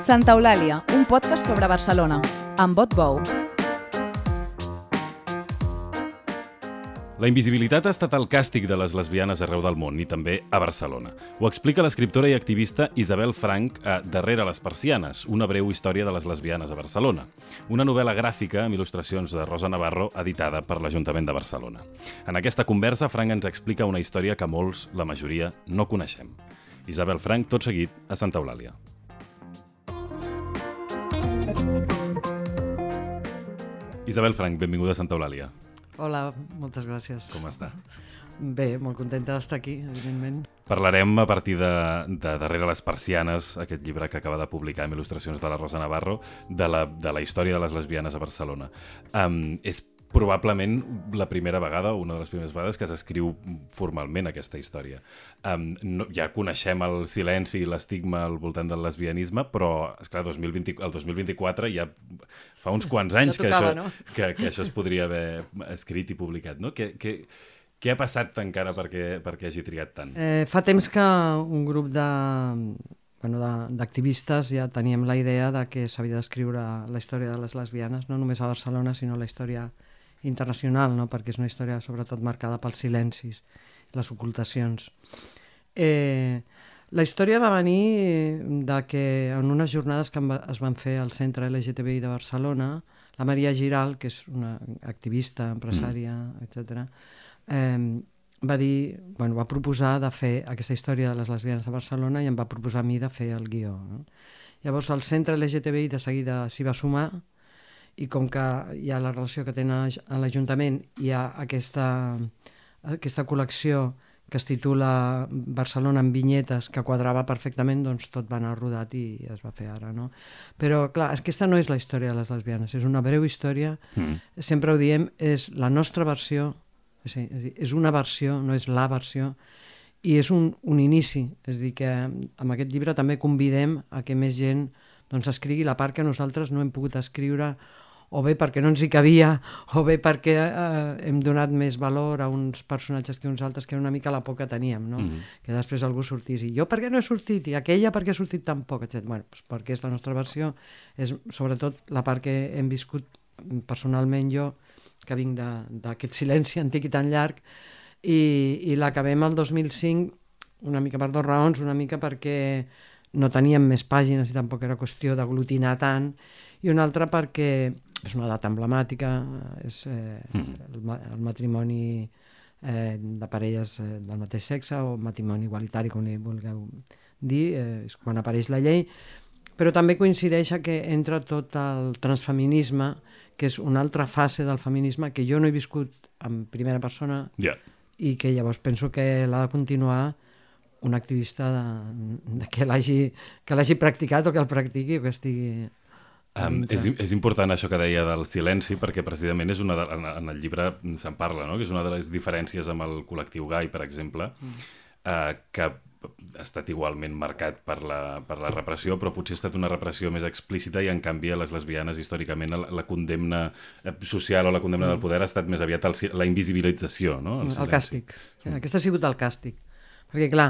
Santa Eulàlia, un podcast sobre Barcelona, amb Bot Bou. La invisibilitat ha estat el càstig de les lesbianes arreu del món i també a Barcelona. Ho explica l'escriptora i activista Isabel Franch a Darrere les persianes, una breu història de les lesbianes a Barcelona. Una novel·la gràfica amb il·lustracions de Rosa Navarro editada per l'Ajuntament de Barcelona. En aquesta conversa, Franch ens explica una història que molts, la majoria, no coneixem. Isabel Franch, tot seguit, a Santa Eulàlia. Isabel Franch, benvinguda a Santa Eulàlia. Hola, moltes gràcies. Com està? Bé, molt contenta d'estar aquí, evidentment. Parlarem a partir de Darrere les persianes, aquest llibre que acaba de publicar amb il·lustracions de la Rosa Navarro, de la història de les lesbianes a Barcelona. És probablement la primera vegada, una de les primeres vegades que s'escriu formalment aquesta història. Ja coneixem el silenci i l'estigma al voltant del lesbianisme, però, esclar, el 2024 ja fa uns quants anys que això es podria haver escrit i publicat, no? Què ha passat encara perquè hagi trigat tant? Fa temps que un grup d'activistes ja teníem la idea de que s'havia d'escriure la història de les lesbianes, no només a Barcelona, sinó la història internacional, no? Perquè és una història sobretot marcada pels silencis, les ocultacions. La història va venir de que en unes jornades que es van fer al Centre LGTBI de Barcelona, la Maria Giral, que és una activista, empresària, etc., va proposar de fer aquesta història de les lesbianes a Barcelona i em va proposar a mi de fer el guió. No? Llavors el Centre LGTBI de seguida s'hi va sumar i com que hi ha la relació que tenen a l'Ajuntament, hi ha aquesta col·lecció que es titula Barcelona en vinyetes, que quadrava perfectament, doncs tot va anar rodat i es va fer ara, no? Però, clar, aquesta no és la història de les lesbianes, és una breu història, sempre ho diem, és la nostra versió, és una versió, no és la versió, i és un inici, és a dir, que amb aquest llibre també convidem a que més gent doncs escrigui la part que nosaltres no hem pogut escriure, o bé perquè no ens hi cabia, o bé perquè hem donat més valor a uns personatges que uns altres, que era una mica la por que teníem, no? Que després algú sortís i jo per què no he sortit, i aquella per què ha sortit tan poc, etc. Bueno, doncs perquè és la nostra versió, és sobretot la part que hem viscut personalment jo, que vinc d'aquest silenci antic i tan llarg, i l'acabem el 2005, una mica per dues raons, una mica perquè no teníem més pàgines i tampoc era qüestió d'aglutinar tant, i una altra perquè és una data emblemàtica, és el matrimoni de parelles del mateix sexe o matrimoni igualitari, com li vulgueu dir, és quan apareix la llei, però també coincideix que entra tot el transfeminisme, que és una altra fase del feminisme que jo no he viscut en primera persona i que llavors penso que l'ha de continuar un activista que l'hagi practicat o que el practiqui o que estigui... És important això que deia del silenci, perquè precisament és en el llibre se'n parla, no? Que és una de les diferències amb el col·lectiu gai, per exemple, que ha estat igualment marcat per la repressió, però potser ha estat una repressió més explícita i en canvi a les lesbianes històricament la condemna social o la condemna del poder ha estat més aviat la invisibilització, no? El càstig. Aquest ha sigut el càstig. Perquè clar,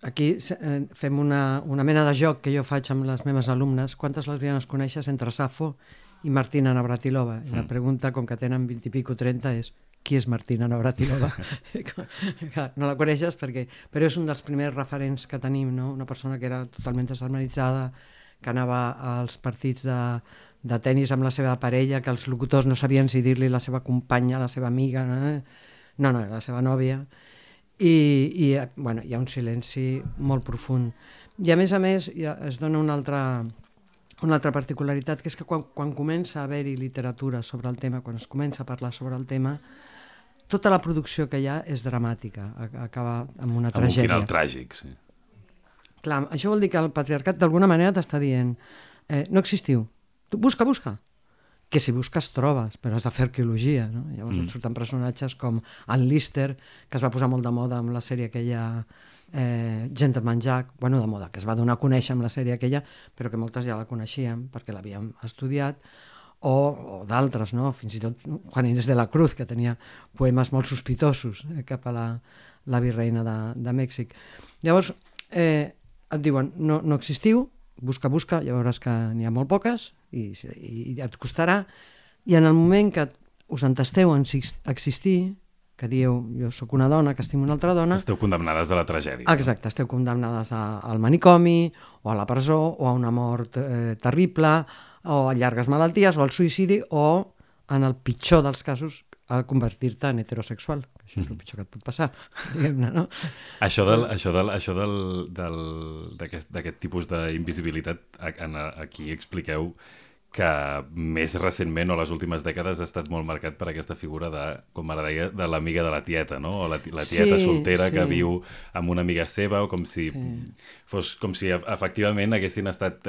aquí fem una mena de joc que jo faig amb les meves alumnes. Quantes lesbianes coneixes entre Safo i Martina Navratilova? I la pregunta, com que tenen 20 i pico, 30, és qui és Martina Navratilova? No la coneixes però és un dels primers referents que tenim, no? Una persona que era totalment desarmonitzada, que anava als partits de tennis amb la seva parella, que els locutors no sabien si dir-li la seva companya, la seva amiga, no, era la seva nòvia. I hi ha un silenci molt profund. I a més es dona una altra particularitat, que és que quan comença a haver-hi literatura sobre el tema, quan es comença a parlar sobre el tema, tota la producció que hi ha és dramàtica, acaba amb una tragèdia. Amb un final tràgic, sí. Clar, això vol dir que el patriarcat d'alguna manera t'està dient no existiu, tu busca, que si busques trobes, però has de fer arqueologia, no? Llavors et surten personatges com el Lister, que es va posar molt de moda amb la sèrie aquella Gentleman Jack, de moda, que es va donar a conèixer amb la sèrie aquella, però que moltes ja la coneixíem perquè l'havíem estudiat, o d'altres, no? Fins i tot Juan Inés de la Cruz, que tenia poemes molt sospitosos cap a la virreina de Mèxic. Llavors, et diuen, no existiu, busca, ja veuràs que n'hi ha molt poques i et costarà, i en el moment que us entesteu en existir, que dieu, jo sóc una dona, que estimo una altra dona... Esteu condemnades a la tragèdia. Exacte, esteu condemnades al manicomi, o a la presó, o a una mort terrible, o a llargues malalties, o al suïcidi, o, en el pitjor dels casos, a convertir-te en heterosexual. Això és el pitjor que et pot passar, diguem-ne, no? Això d'aquest tipus d'invisibilitat, aquí expliqueu que més recentment o les últimes dècades ha estat molt marcat per aquesta figura de, com ara deia, de l'amiga de la tieta, no? O la tieta soltera que viu amb una amiga seva, o com si fos com si efectivament haguessin estat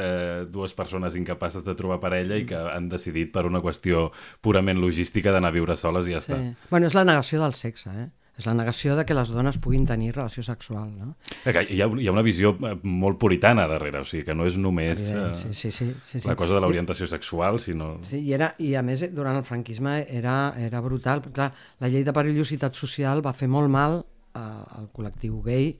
dues persones incapaces de trobar parella i que han decidit per una qüestió purament logística d'anar a viure soles i ja està. Bueno, és la negació del sexe, És la negació de que les dones puguin tenir relació sexual, no? Hi ha una visió molt puritana darrere, o sigui, que no és només la cosa de l'orientació sexual, sinó... Sí, i a més, durant el franquisme era brutal. Clar, la llei de perillositat social va fer molt mal al col·lectiu gay.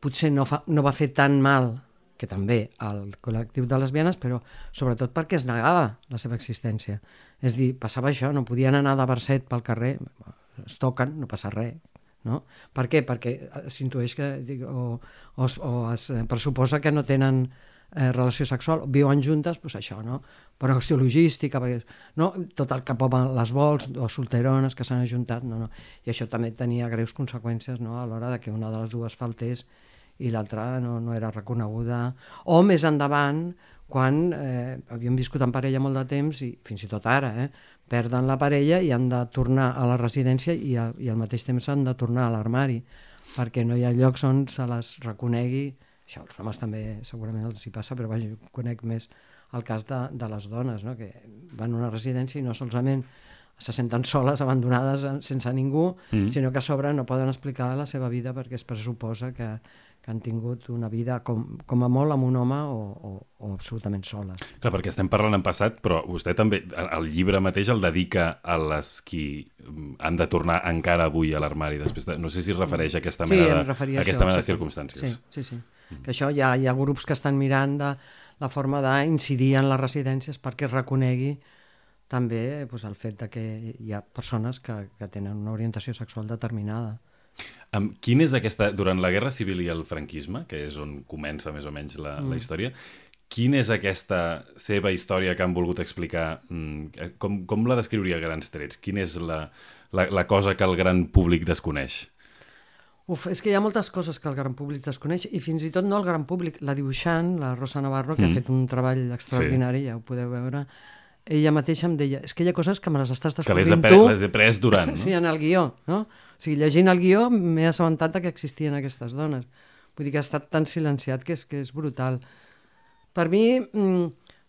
Potser no va fer tan mal, que també, al col·lectiu de lesbianes, però sobretot perquè es negava la seva existència. És dir, passava això, no podien anar de verset pel carrer, es toquen, no passa res, no? Per què? Perquè s'intueix que o es pressuposa que no tenen relació sexual, viuen juntes, doncs això, no? Per una qüestió logística, perquè, no? Tot el que poden les vols o solterones que s'han ajuntat, no. I això també tenia greus conseqüències, no? A l'hora de que una de les dues faltés i l'altra no era reconeguda. O més endavant, quan havíem viscut en parella molt de temps, i fins i tot ara, perden la parella i han de tornar a la residència i al mateix temps han de tornar a l'armari, perquè no hi ha llocs on se les reconegui. Això als homes també segurament els hi passa, però vaja, jo conec més el cas de les dones, no? Que van a una residència i no solament se senten soles, abandonades, sense ningú, sinó que a sobre no poden explicar la seva vida perquè es pressuposa que han tingut una vida com a molt amb un home o absolutament soles. Clar, perquè estem parlant en passat, però vostè també, el llibre mateix el dedica a les qui han de tornar encara avui a l'armari, després no sé si es refereix a aquesta mena de circumstàncies. Sí. Que això hi ha grups que estan mirant de la forma d'incidir en les residències perquè es reconegui també el fet que hi ha persones que tenen una orientació sexual determinada. Quin és durant la Guerra Civil i el franquisme, que és on comença més o menys la història, quina és aquesta seva història que han volgut explicar? Com la descriuria a grans trets? Quina és la cosa que el gran públic desconeix? És que hi ha moltes coses que el gran públic desconeix, i fins i tot no el gran públic. La dibuixant, la Rosa Navarro, que ha fet un treball extraordinari, ja ho podeu veure, ella mateixa em deia, és que hi ha coses que me les estàs descobrint tu... Que les he pres durant, no? Sí, en el guió, no? O sigui, llegint el guió m'he assabentat que existien aquestes dones. Vull dir que ha estat tan silenciat que és brutal. Per mi,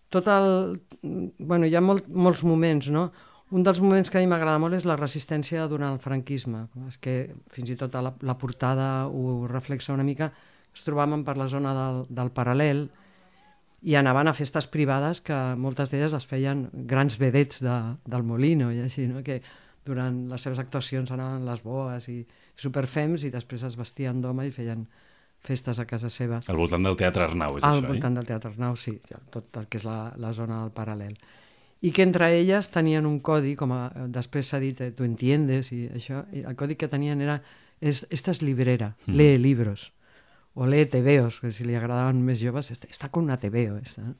Bueno, hi ha molts moments, no? Un dels moments que a mi m'agrada molt és la resistència durant el franquisme. És que fins i tot la portada ho reflexa una mica. Es trobaven per la zona del Paral·lel i anaven a festes privades que moltes d'elles les feien grans vedets del Molino i així, no? Que durant les seves actuacions anaven les boes i superfems i després es vestien d'home i feien festes a casa seva. Al voltant del Teatre Arnau, és això, Al voltant del Teatre Arnau, sí, tot el que és la zona del Paral·lel. I que entre elles tenien un codi, com després s'ha dit, tu entiendes, i això, i el codi que tenien era, esta es librera, lee libros, o lee tebeos, que si li agradaven més joves, està con una tebeo, no?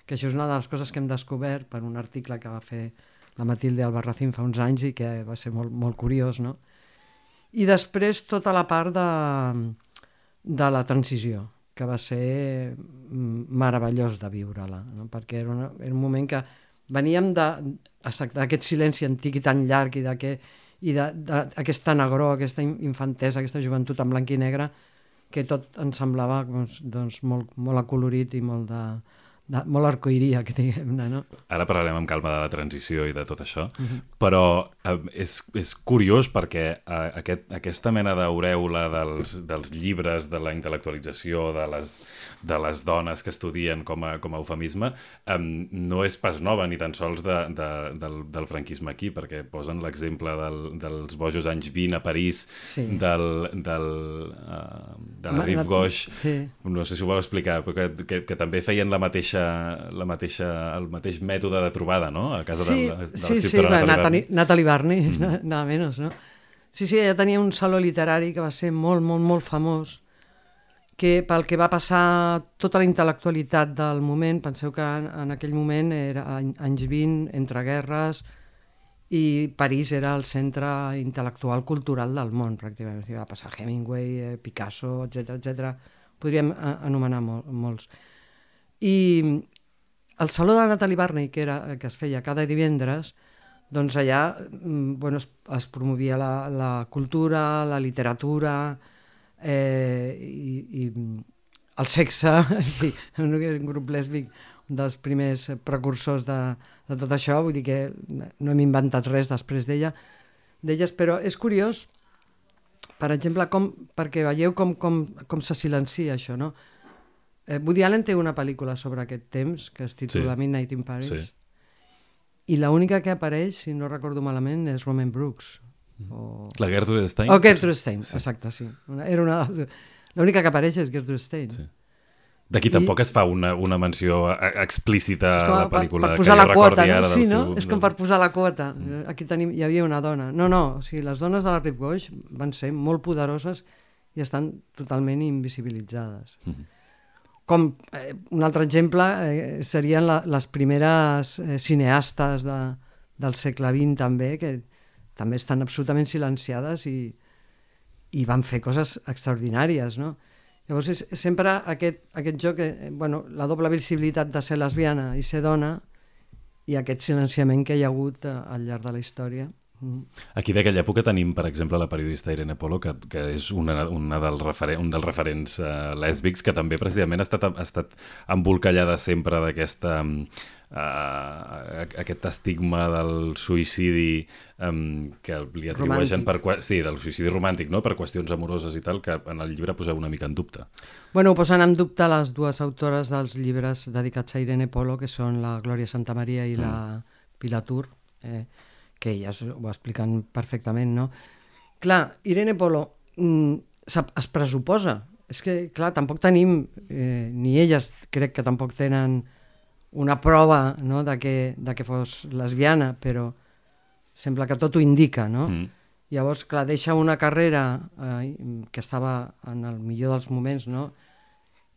Que això és una de les coses que hem descobert per un article que va fer la Matilde Albarracín fa uns anys i que va ser molt, molt curiós, no? I després tota la part de la transició, que va ser meravellós de viure-la, no? Perquè era un moment que veníem d'aquest silenci antic i tan llarg i d'aquesta negror, aquesta infantesa, aquesta joventut en blanc i negre, que tot ens semblava molt acolorit i molt molt arcoiríac, diguem-ne, no? Ara parlarem amb calma de la transició i de tot això, però és curiós perquè aquesta mena d'aureola dels llibres, de la intel·lectualització, de les dones que estudien com a eufemisme, no és pas nova ni tan sols del franquisme aquí, perquè posen l'exemple dels bojos anys 20 a París, de la Rive Gauche, no sé si ho vol explicar, però que també feien el mateix mètode de trobada, no? A casa de l'escriptora Natalie Barney, nada menos, no? Sí, ella tenia un saló literari que va ser molt, molt, molt famós, que pel que va passar tota la intel·lectualitat del moment, penseu que en aquell moment era anys 20, entre guerres, i París era el centre intel·lectual cultural del món, pràcticament. Va passar Hemingway, Picasso, etc. Podríem anomenar molts. I el saló de Natalie Barney, que es feia cada divendres, doncs allà es promovia la cultura, la literatura i el sexe, un grup lèsbic, un dels primers precursors de tot això, vull dir que no hem inventat res després d'elles, però és curiós, per exemple, perquè veieu com se silencia això, no? Woody Allen té una pel·lícula sobre aquest temps que es titula Midnight in Paris, i l'única que apareix, si no recordo malament, és Romaine Brooks. La Gertrude Stein? Gertrude Stein, exacte, sí. L'única que apareix és Gertrude Stein. D'aquí tampoc es fa una menció explícita a la pel·lícula. Per posar la quota, no? Sí, no? És com per posar la quota. Aquí hi havia una dona. No, o sigui, les dones de la Rive Gauche van ser molt poderoses i estan totalment invisibilitzades. Com un altre exemple serien les primeres cineastes del segle XX també, que també estan absolutament silenciades i van fer coses extraordinàries, no? Llavors és sempre aquest joc, la doble visibilitat de ser lesbiana i ser dona i aquest silenciament que hi ha hagut al llarg de la història. Aquí d'aquella època tenim, per exemple, la periodista Irene Polo, que és un dels referents lèsbics, que també precisament ha estat embolcallada sempre d'aquesta aquest estigma del suïcidi que li atribueixen del suïcidi romàntic, no? Per qüestions amoroses i tal, que en el llibre poseu una mica en dubte. Ho posen en dubte les dues autores dels llibres dedicats a Irene Polo, que són la Glòria Santamaria i la Pilar Tur, que elles ho expliquen perfectament, no? Clar, Irene Polo es pressuposa, és que, clar, tampoc tenim, ni elles crec que tampoc tenen una prova, no?, de que fos lesbiana, però sembla que tot ho indica, no? Llavors, clar, deixa una carrera que estava en el millor dels moments, no?,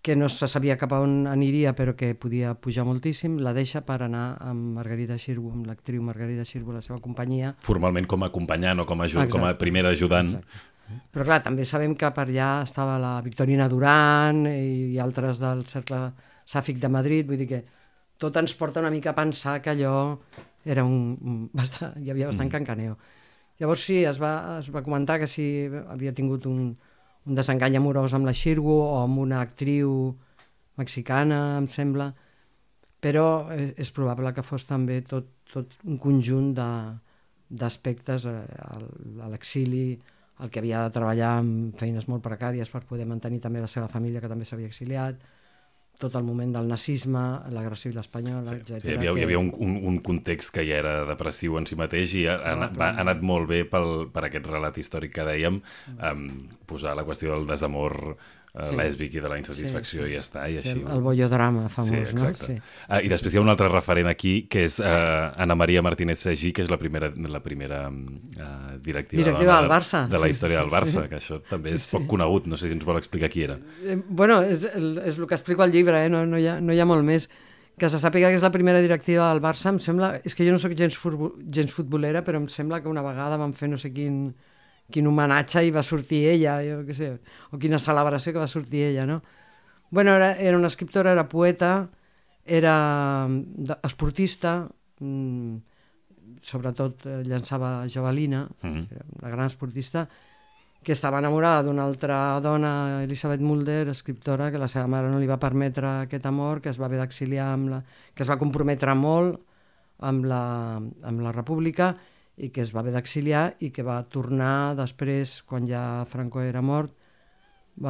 que no se sabia cap a on aniria, però que podia pujar moltíssim, la deixa per anar amb Margarida Xirgu, amb l'actriu Margarida Xirgu, la seva companyia. Formalment com a acompanyant o com a primera ajudant. Exacte. Però clar, també sabem que per allà estava la Victorina Duran i altres del cercle sàfic de Madrid, vull dir que tot ens porta una mica a pensar que allò era hi havia bastant cancaneo. Llavors sí, es va comentar que si havia tingut un desengany amorós amb la Xirgu o amb una actriu mexicana, em sembla, però és probable que fos també tot un conjunt d'aspectes a l'exili, el que havia de treballar amb feines molt precàries per poder mantenir també la seva família, que també s'havia exiliat, tot el moment del nazisme, la Guerra Civil Espanyola, etc. Hi havia un context que ja era depressiu en si mateix i ha anat molt bé per aquest relat històric que dèiem, posar la qüestió del desamor lèsbic i de la insatisfacció i ja està, i així. El bollodrama famós, no? Sí. I després hi ha un altre referent aquí, que és Ana Maria Martínez Sagí, que és la primera directiva del Barça, de la història del Barça, que això també és poc conegut, no sé si ens vol explicar qui era. És el que explico al llibre, no hi ha molt més. Que se sàpiga que és la primera directiva del Barça, em sembla, és que jo no soc gens futbolera, però em sembla que una vegada van fer no sé quin homenatge i va sortir ella, jo què sé, o quina celebració que va sortir ella, no? Era una escriptora, era poeta, era esportista, sobretot llançava javelina, una gran esportista, que estava enamorada d'una altra dona, Elisabeth Mulder, escriptora, que la seva mare no li va permetre aquest amor, que es va haver d'exiliar, que es va comprometre molt amb la República i que es va haver d'exiliar i que va tornar després, quan ja Franco era mort,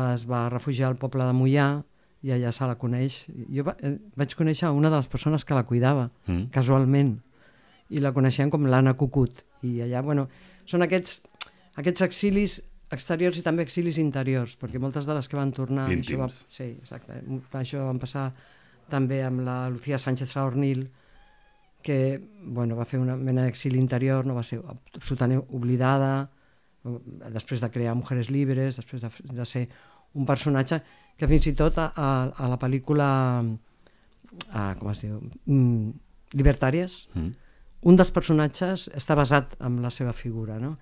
es va refugiar al poble de Moià i allà se la coneix. Jo vaig conèixer una de les persones que la cuidava, casualment, i la coneixien com l'Anna Cucut. I allà, són aquests exilis exteriors i també exilis interiors, perquè moltes de les que van tornar... Íntims. Sí, exacte. Això va passar també amb la Lucía Sánchez Saornil, que va fer una mena d'exili interior, no va ser absolutament oblidada, després de crear Mujeres Libres, després de ser un personatge que fins i tot a la pel·lícula com es diu? Libertàries, un dels personatges està basat en la seva figura, no?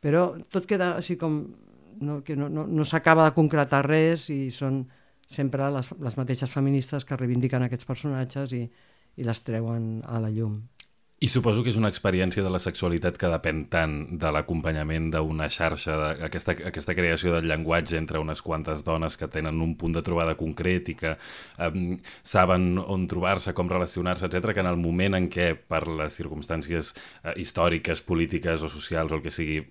Però tot queda així com que no s'acaba de concretar res i són sempre les mateixes feministes que reivindiquen aquests personatges i les treuen a la llum. I suposo que és una experiència de la sexualitat que depèn tant de l'acompanyament d'una xarxa, d'aquesta creació del llenguatge entre unes quantes dones que tenen un punt de trobada concret i que saben on trobar-se, com relacionar-se, etc., que en el moment en què, per les circumstàncies històriques, polítiques o socials o el que sigui,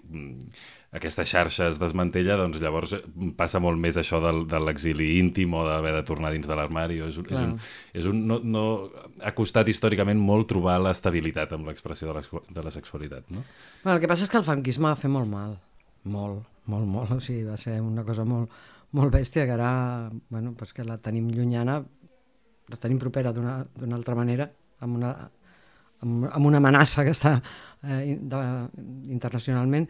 aquesta xarxa es desmantella, doncs llavors passa molt més això de l'exili íntim o d'haver de tornar dins de l'armari. Ha costat històricament molt trobar l'estabilitat amb l'expressió de la sexualitat, no? El que passa és que el franquisme va fer molt mal, molt, o sigui, va ser una cosa molt, molt bèstia, que ara, pues que la tenim llunyana, la tenim propera d'una altra manera, amb una amenaça que està internacionalment,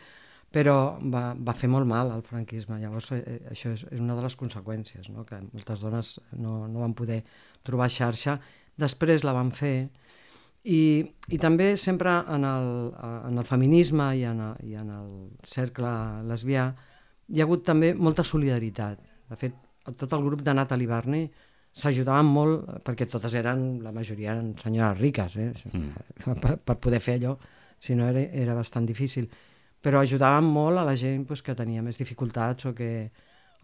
però va fer molt mal al franquisme. Llavors això és una de les conseqüències, no? Que moltes dones no van poder trobar xarxa, després la van fer, i també sempre en el feminisme i en el cercle lesbià hi ha hagut també molta solidaritat. De fet, tot el grup de Natalie Barney s'ajudaven molt, perquè totes la majoria eren senyores riques, per poder fer allò, si no era bastant difícil. Però ajudaven molt a la gent que tenia més dificultats o que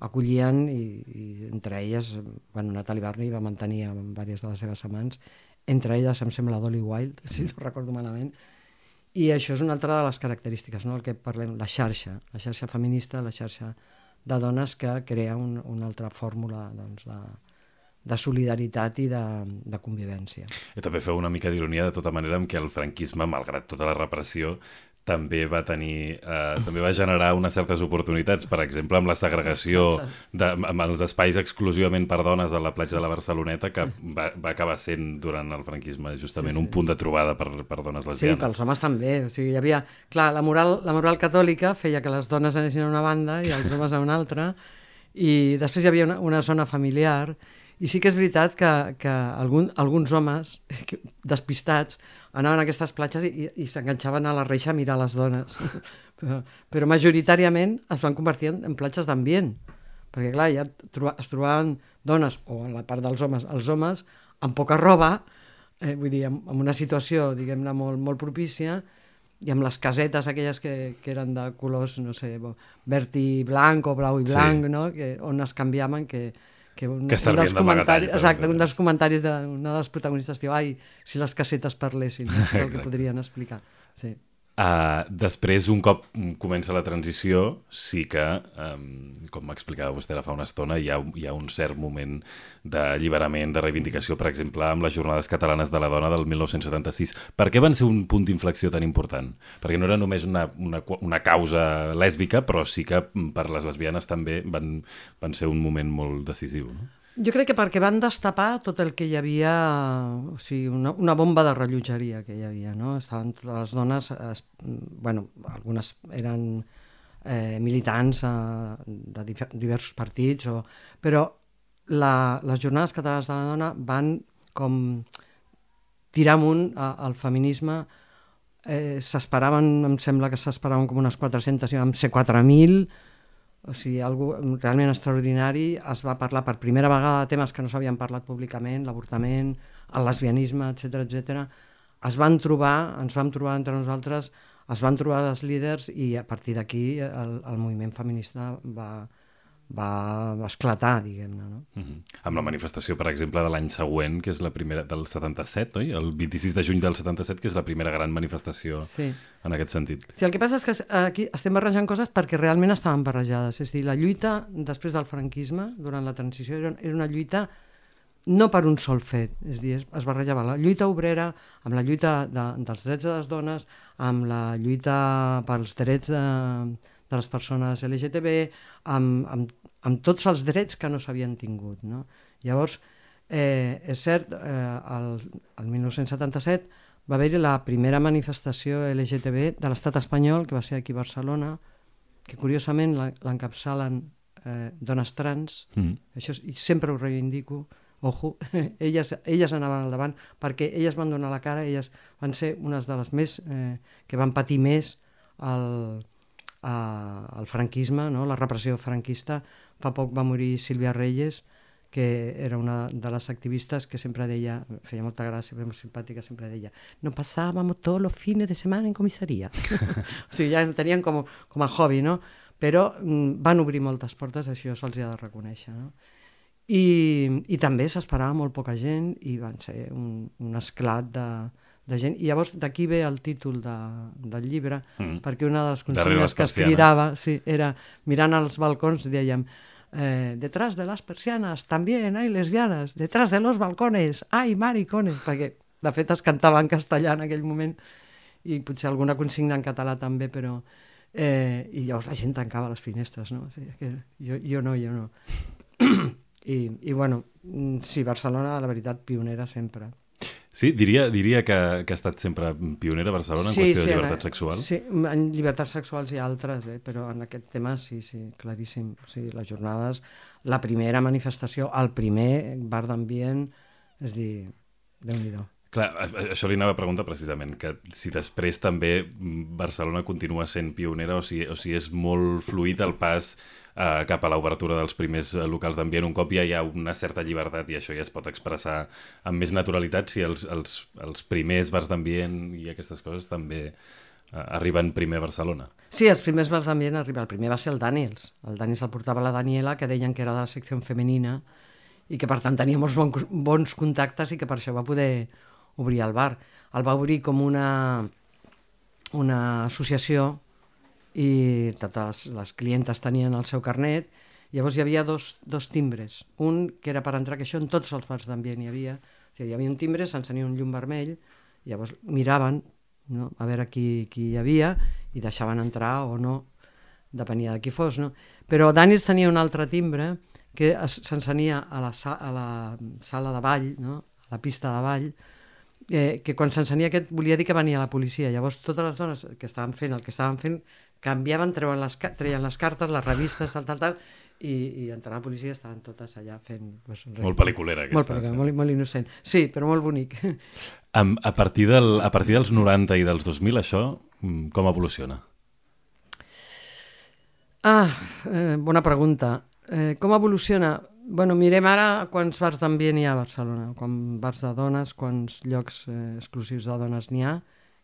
acollien, i entre elles, Natalie Barney va mantenir amb diverses de les seves amants, entre elles em sembla Dolly Wilde, si no recordo malament, i això és una altra de les característiques, no? El que parlem, la xarxa feminista, la xarxa de dones que crea una altra fórmula de solidaritat i de convivència. I també feu una mica d'ironia de tota manera amb què el franquisme, malgrat tota la repressió, també va generar unes certes oportunitats, per exemple, amb la segregació amb els espais exclusivament per dones a la platja de la Barceloneta, que va acabar sent durant el franquisme justament un punt de trobada per dones lesbianes. Sí, pels homes també. O sigui, hi havia, clar, la moral catòlica feia que les dones anessin a una banda i els homes a una altra, i després hi havia una zona familiar, i sí que és veritat que alguns homes despistats anaven a aquestes platges i s'enganxaven a la reixa a mirar les dones. Però majoritàriament es van convertir en platges d'ambient, perquè clar, ja es trobaven dones, o en la part dels homes, els homes amb poca roba, vull dir, en una situació, diguem-ne, molt propícia, i amb les casetes aquelles que eren de colors, no sé, verd i blanc o blau i blanc, no? On es canviaven, que un dels comentaris d'una de les protagonistes diu, ai, si les casetes parlessin, el que podrien explicar. Sí. Després, un cop comença la transició, sí que, com m'explicava vostè ara fa una estona, hi ha un cert moment d'alliberament, de reivindicació, per exemple, amb les Jornades Catalanes de la Dona del 1976. Per què van ser un punt d'inflexió tan important? Perquè no era només una causa lèsbica, però sí que per les lesbianes també van ser un moment molt decisiu, no? Jo crec que perquè van destapar tot el que hi havia, o sigui, una bomba de rellotgeria que hi havia, no? Estaven totes les dones, algunes eren militants de diversos partits, però les Jornades Catalanes de la Dona van com tirar amunt al feminisme. S'esperaven, em sembla que s'esperaven com unes 400, i vam ser 4.000, o sigui, algo realment extraordinari. Es va parlar per primera vegada de temes que no s'havien parlat públicament, l'avortament, el lesbianisme, etc. Ens vam trobar entre nosaltres es van trobar els líders i a partir d'aquí el moviment feminista va esclatar, diguem-ne. No? Amb la manifestació, per exemple, de l'any següent, que és la primera del 77, oi? El 26 de juny del 77, que és la primera gran manifestació en aquest sentit. Sí, el que passa és que aquí estem barrejant coses perquè realment estaven barrejades. És a dir, la lluita després del franquisme, durant la transició, era una lluita no per un sol fet, és a dir, es barrejava la lluita obrera amb la lluita dels drets de les dones, amb la lluita pels drets de les persones LGTB, amb tots els drets que no s'havien tingut. No? Llavors, és cert, el 1977 va haver-hi la primera manifestació LGTB de l'estat espanyol, que va ser aquí a Barcelona, que curiosament l'encapçalen dones trans, això sempre ho reivindico, ojo, elles anaven al davant, perquè elles van donar la cara, elles van ser unes de les més que van patir més el franquisme, no? La repressió franquista. Fa poc va morir Sílvia Reyes, que era una de les activistes que sempre deia, feia molta gràcia, era molt simpàtica, sempre deia, no passábamos todos los fines de semana en comissaria. O sigui, ja tenien com a hobby, no? Però van obrir moltes portes, això se'ls ha de reconèixer, no? I també s'esperava molt poca gent i van ser un esclat de gent. I llavors d'aquí ve el títol del llibre, perquè una de les consignes que es cridava era, mirant als balcons, dèiem, detrás de las persianas también hay lesbianas, detrás de los balcones hay maricones, perquè de fet es cantava en castellà en aquell moment i potser alguna consigna en català també, però i llavors la gent tancava les finestres, no? O sigui, que jo no. I bueno, sí, Barcelona, la veritat, pionera sempre. Sí, diria que ha estat sempre pionera a Barcelona en qüestió de llibertat sexual. Sí, en llibertats sexuals hi ha altres, però en aquest tema sí, claríssim. O sigui, les jornades, la primera manifestació, el primer bar d'ambient, és dir, Déu-n'hi-do. Clar, això li anava a preguntar precisament, que si després també Barcelona continua sent pionera o si és molt fluid el pas cap a l'obertura dels primers locals d'ambient. Un cop ja hi ha una certa llibertat i això ja es pot expressar amb més naturalitat, si els primers bars d'ambient i aquestes coses també arriben primer a Barcelona. Sí, els primers bars d'ambient arriben. El primer va ser el Daniels. El Daniels el portava la Daniela, que deien que era de la secció femenina i que per tant tenia molts bons contactes i que per això va poder obrir el bar. El va obrir com una associació i totes les clientes tenien el seu carnet. Llavors hi havia dos timbres. Un que era per entrar, que això en tots els bars d'ambient hi havia. O sigui, hi havia un timbre, s'encenia un llum vermell, llavors miraven, no?, a veure qui hi havia i deixaven entrar o no, depenia de qui fos. No? Però Daniels tenia un altre timbre que s'encenia a la sala de ball, no?, a la pista de ball, que quan s'encenia aquest volia dir que venia la policia. Llavors totes les dones que estaven fent el que estaven fent canviaven, treien les cartes, les revistes, tal, i entrant la policia estaven totes allà fent... Molt pel·liculera aquesta. Molt innocent. Sí, però molt bonic. A partir dels 90 i dels 2000, això com evoluciona? Bona pregunta. Com evoluciona? Bueno, mirem ara quants bars d'ambient hi ha a Barcelona, quants bars de dones, quants llocs exclusius de dones n'hi ha,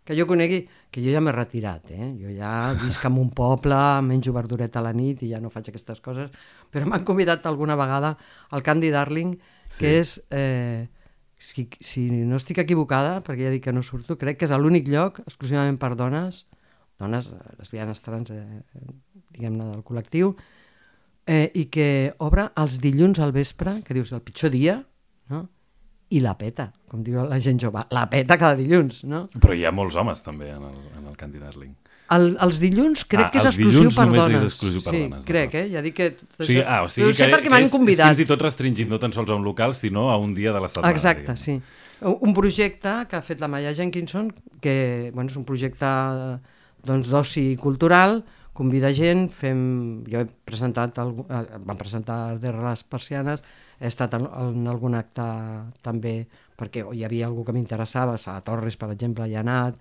que jo conegui, que jo ja m'he retirat, jo ja visc en un poble, menjo verdureta a la nit i ja no faig aquestes coses, però m'han convidat alguna vegada al Candy Darling, que és, si no estic equivocada, perquè ja dic que no surto, crec que és l'únic lloc exclusivament per dones lesbianes, trans, diguem-ne, del col·lectiu, i que obre els dilluns al vespre, que dius el pitjor dia, no? I la peta, com diu la gent jove, la peta cada dilluns, no? Però hi ha molts homes també en el Candy Darling. Els dilluns crec que és exclusiu per dones. Només és exclusiu per dones. Sí, crec, ja dic que... O sigui que perquè m'han convidat. És fins i tot restringit no tan sols a un local, sinó a un dia de la setmana. Exacte, sí. Un projecte que ha fet la Maya Jenkinson, que és un projecte d'oci cultural, convida gent, jo he presentat, vam presentar Darrere les persianes, he estat en algun acte també, perquè hi havia algú que m'interessava, Sara Torres, per exemple, hi ha anat,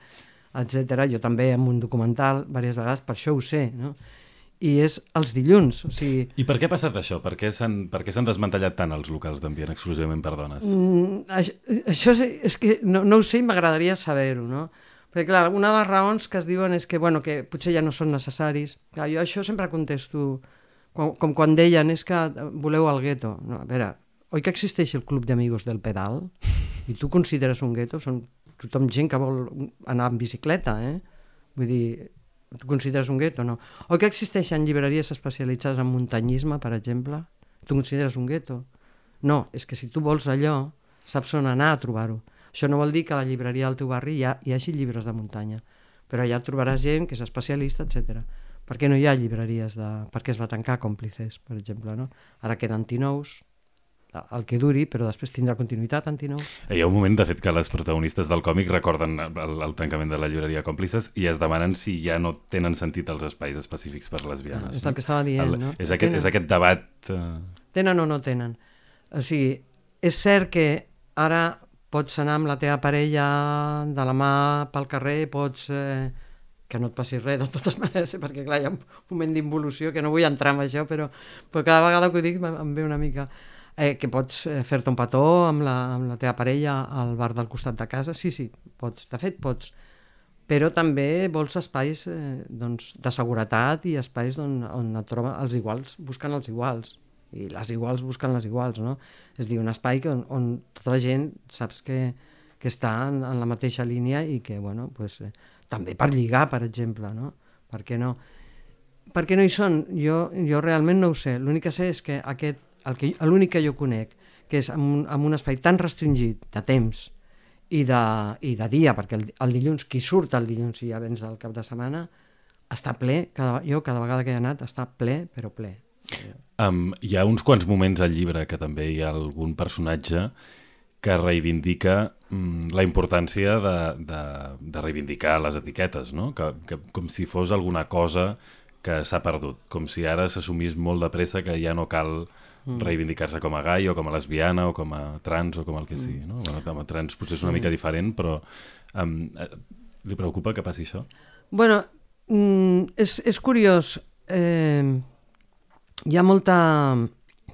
etc. Jo també en un documental, diverses vegades, per això ho sé, no? I és els dilluns, o sigui... I per què ha passat això? Per què s'han desmantellat tant els locals d'ambient exclusivament per dones? Això és que no ho sé i m'agradaria saber-ho, no? Perquè, clar, una de les raons que es diuen és que, bueno, que potser ja no són necessaris. Clar, jo això sempre contesto, com quan deien, és que voleu el gueto. No, a veure, oi que existeix el club d'amigos del pedal? I tu consideres un gueto? Són tothom gent que vol anar en bicicleta, Vull dir, tu consideres un gueto? No. Oi que existeixen llibreries especialitzades en muntanyisme, per exemple? Tu consideres un gueto? No, és que si tu vols allò, saps on anar a trobar-ho. Això no vol dir que a la llibreria del teu barri hi hagi llibres de muntanya, però allà trobaràs gent que és especialista, etc. Per què no hi ha llibreries per què es va tancar Còmplices, per exemple, no? Ara queden antinous, el que duri, però després tindrà continuïtat antinous. Hi ha un moment, de fet, que les protagonistes del còmic recorden el tancament de la llibreria Còmplices i es demanen si ja no tenen sentit els espais específics per lesbianes. És el que estava dient, no? És aquest debat... Tenen o no tenen? O sigui, és cert que ara pots anar amb la teva parella de la mà pel carrer, pots... que no et passi res, de totes maneres, perquè clar, hi ha un moment d'involució que no vull entrar en això, però cada vegada que ho dic em ve una mica... que pots fer-te un petó amb la teva parella al bar del costat de casa, sí, pots, de fet pots, però també vols espais de seguretat i espais on et troben els iguals, busquen els iguals, i les iguals busquen les iguals, no? És a dir, un espai on tota la gent saps que està en la mateixa línia i que, bueno, pues, també per lligar, per exemple, no? Per què no? Per què no hi són? Jo realment no ho sé. L'únic que sé és que l'únic que jo conec, que és en un espai tan restringit de temps i de dia, perquè el dilluns, qui surt el dilluns i ja vens del cap de setmana, està ple, jo cada vegada que he anat està ple, però ple. Hi ha uns quants moments al llibre que també hi ha algun personatge que reivindica la importància de reivindicar les etiquetes, no? Que com si fos alguna cosa que s'ha perdut, com si ara s'assumís molt de pressa que ja no cal reivindicar-se com a gai o com a lesbiana o com a trans o com el que sigui, no? Bueno, com a trans potser és una mica diferent, però li preocupa que passi això? Bueno, és curiós. Hi ha molta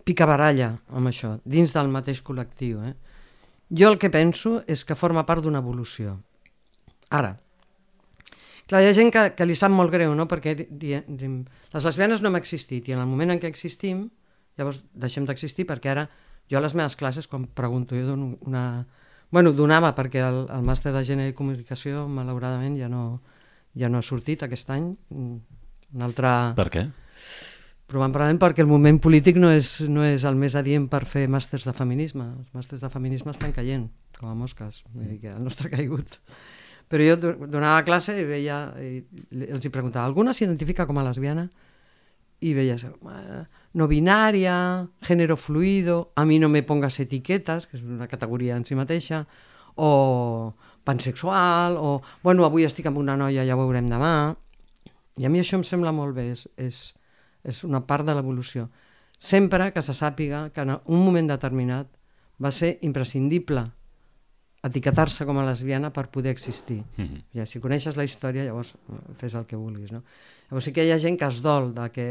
picabaralla amb això, dins del mateix col·lectiu. Jo el que penso és que forma part d'una evolució. Ara, clar, hi ha gent que li sap molt greu, no? Perquè les lesbianes no hem existit i en el moment en què existim, llavors deixem d'existir, perquè ara jo a les meves classes, quan pregunto, jo dono una... Bueno, donava, perquè el màster de Gènere i Comunicació, malauradament, ja no ha sortit aquest any. Un altre... Per què? Probablement perquè el moment polític no és el més adient per fer màsters de feminisme. Els màsters de feminisme estan caient, com a mosques. Vull dir que el nostre ha caigut. Però jo donava classe i veia, els hi preguntava, ¿alguna s'identifica com a lesbiana? I veies, no binària, género fluido, a mi no me pongas etiquetes, que és una categoria en si mateixa, o pansexual, o, bueno, avui estic amb una noia, ja ho veurem demà. I a mi això em sembla molt bé, és una part de l'evolució. Sempre que se sàpiga que en un moment determinat va ser imprescindible etiquetar-se com a lesbiana per poder existir. Ja, si coneixes la història, llavors fes el que vulguis, no? Llavors sí que hi ha gent que es dol de que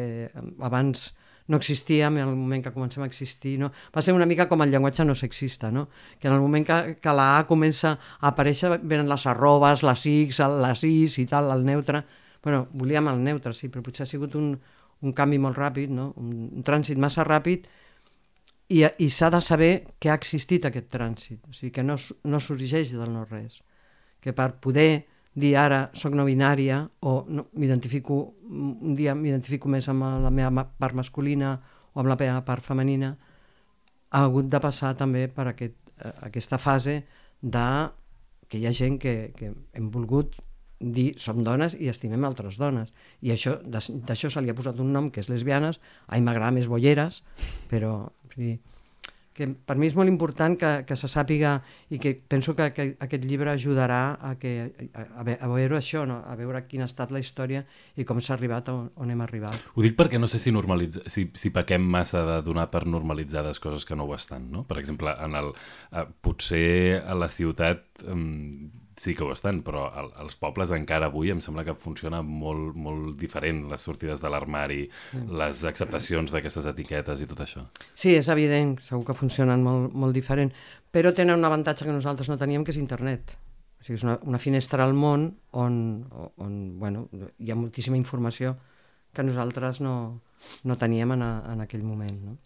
abans no existíem i en el moment que comencem a existir, no? Va ser una mica com el llenguatge no sexista, no? Que en el moment que la A comença a aparèixer venen les arrobes, les X, les Is i tal, el neutre. Bueno, volíem el neutre, sí, però potser ha sigut un canvi molt ràpid, no? Un trànsit massa ràpid i s'ha de saber que ha existit aquest trànsit, o sigui que no sorgeix del no-res, que per poder dir ara soc no binària o no, un dia m'identifico més amb la meva part masculina o amb la meva part femenina, ha hagut de passar també per aquesta fase que hi ha gent que hem volgut dir som dones i estimem altres dones, i d'això se li ha posat un nom que és lesbianes. A mi m'agrada més bolleres, però que per mi és molt important que se sàpiga, i que penso que aquest llibre ajudarà a veure això, no? A veure quina ha estat la història i com s'ha arribat on hem arribat. Ho dic perquè no sé si pequem massa de donar per normalitzades coses que no ho estan, no? Per exemple, potser a la ciutat sí que ho estan, però als pobles encara avui em sembla que funciona molt, molt diferent, les sortides de l'armari, les acceptacions d'aquestes etiquetes i tot això. Sí, és evident, segur que funcionen molt, molt diferent, però tenen un avantatge que nosaltres no teníem, que és internet. O sigui, és una finestra al món on bueno, hi ha moltíssima informació que nosaltres no teníem en aquell moment. No?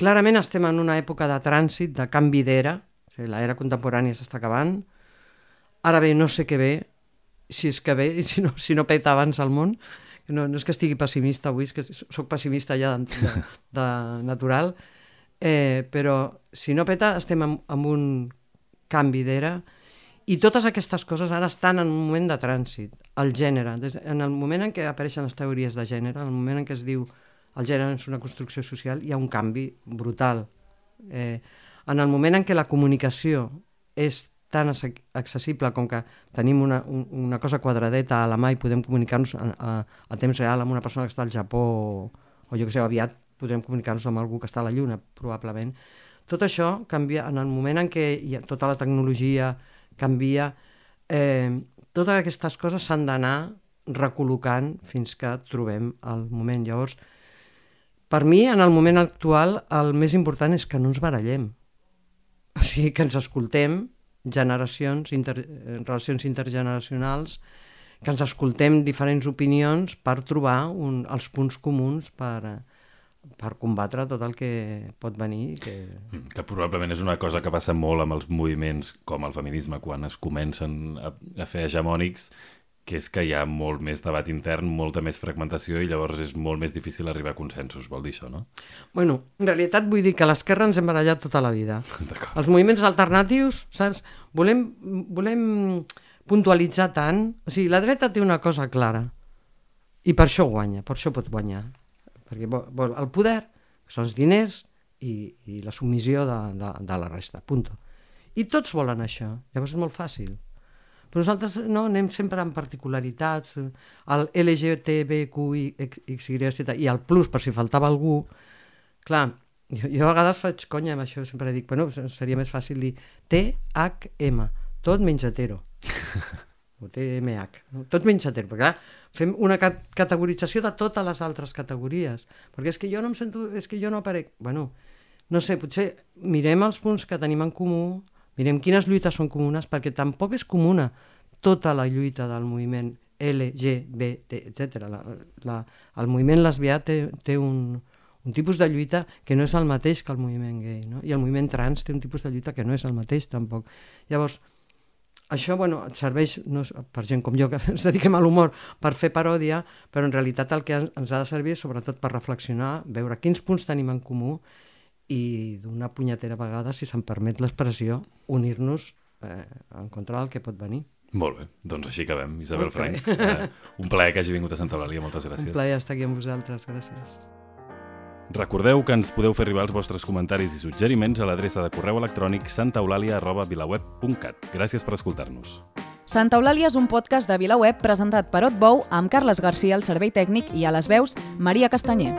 Clarament estem en una època de trànsit, de canvi d'era, o sigui, l'era contemporània s'està acabant, ara bé, no sé què ve, si és que ve i si no peta abans al món. No és que estigui pessimista avui, és que soc pessimista ja de natural, però si no peta estem en un canvi d'era i totes aquestes coses ara estan en un moment de trànsit. El gènere, en el moment en què apareixen les teories de gènere, en el moment en què es diu el gènere és una construcció social, hi ha un canvi brutal. En el moment en què la comunicació és tan accessible com que tenim una cosa quadradeta a la mà i podem comunicar-nos a temps real amb una persona que està al Japó o jo que sé, aviat podrem comunicar-nos amb algú que està a la Lluna, probablement. Tot això canvia en el moment en què tota la tecnologia canvia, totes aquestes coses s'han d'anar recol·locant fins que trobem el moment. Llavors, per mi, en el moment actual, el més important és que no ens barallem. O sigui, que ens escoltem, relacions intergeneracionals, que ens escoltem diferents opinions per trobar els punts comuns per combatre tot el que pot venir. Que probablement és una cosa que passa molt amb els moviments com el feminisme, quan es comencen a fer hegemònics, que és que hi ha molt més debat intern, molta més fragmentació i llavors és molt més difícil arribar a consensos, vol dir això, no? Bueno, en realitat vull dir que a l'esquerra ens hem barallat tota la vida. Els moviments alternatius, saps? Volem puntualitzar tant. O sigui, la dreta té una cosa clara i per això guanya, per això pot guanyar. Perquè vol el poder, que són els diners i la submissió de la resta, punto. I tots volen això, llavors és molt fàcil. Però nosaltres no, anem sempre amb particularitats, el LGTBQXYZ i el plus, per si faltava algú. Clar, jo a vegades faig conya amb això, sempre dic, bueno, seria més fàcil dir THM, tot menys hetero. O TMH, tot menys hetero, perquè clar, fem una categorització de totes les altres categories, perquè és que jo no em sento, és que jo no aparec. Bueno, no sé, potser mirem els punts que tenim en comú, mirem quines lluites són comunes, perquè tampoc és comuna tota la lluita del moviment LGBT, etc. El moviment lesbià té un tipus de lluita que no és el mateix que el moviment gay, no? I el moviment trans té un tipus de lluita que no és el mateix tampoc. Llavors, això et serveix per gent com jo, que ens dediquem a l'humor, per fer paròdia, però en realitat el que ens ha de servir és sobretot per reflexionar, veure quins punts tenim en comú i d'una punyetera vegada, si se'm permet l'expressió, unir-nos en contra del que pot venir. Molt bé, doncs així acabem. Isabel Frank, un plaer que hagi vingut a Santa Eulàlia, moltes gràcies. Un plaer estar aquí amb vosaltres, gràcies. Recordeu que ens podeu fer arribar els vostres comentaris i suggeriments a l'adreça de correu electrònic santaeulàlia@vilaweb.cat. Gràcies per escoltar-nos. Santa Eulàlia és un podcast de VilaWeb presentat per Otbou amb Carles Garcia al servei tècnic i a les veus Maria Castanyer.